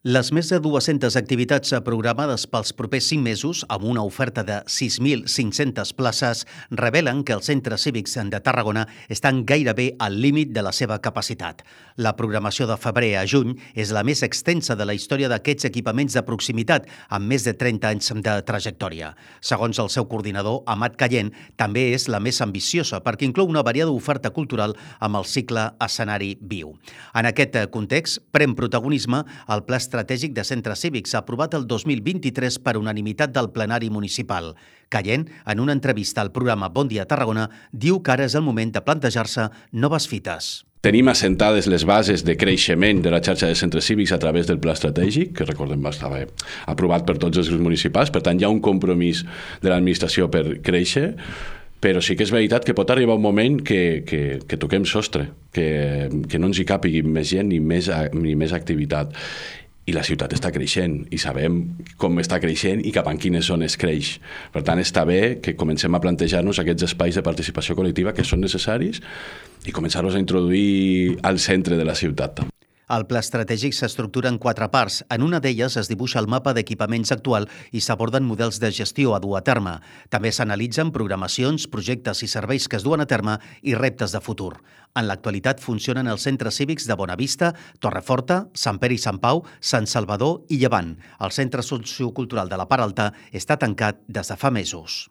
Les més de 200 activitats programades pels propers 5 mesos, amb una oferta de 6.500 places, revelen que els centres cívics de Tarragona estan gairebé al límit de la seva capacitat. La programació de febrer a juny és la més extensa de la història d'aquests equipaments de proximitat, amb més de 30 anys de trajectòria. Segons el seu coordinador, Amat Callent, també és la més ambiciosa perquè inclou una variada oferta cultural amb el cicle Escenari Viu. En aquest context, pren protagonisme el Pla Estratègic de Centres Cívics, aprovat el 2023 per unanimitat del plenari municipal. Callent, en una entrevista al programa Bon Dia Tarragona, diu que ara és el moment de plantejar-se noves fites. Tenim assentades les bases de creixement de la xarxa de centres cívics a través del Pla Estratègic, que recordem estava aprovat per tots els grups municipals, per tant hi ha un compromís de l'administració per créixer, però sí que és veritat que pot arribar un moment que toquem sostre, que no ens hi càpigui més gent ni més activitat. I la ciutat està creixent i sabem com està creixent i cap en quines zones creix. Per tant, està bé que comencem a plantejar-nos aquests espais de participació col·lectiva que són necessaris i començar-los a introduir al centre de la ciutat. El pla estratègic s'estructura en 4 parts. En una d'elles es dibuixa el mapa d'equipaments actual i s'aborden models de gestió a dur a terme. També s'analitzen programacions, projectes i serveis que es duen a terme i reptes de futur. En l'actualitat funcionen els centres cívics de Bonavista, Torreforta, Sant Pere i Sant Pau, Sant Salvador i Llevant. El centre sociocultural de la Part Alta està tancat des de fa mesos.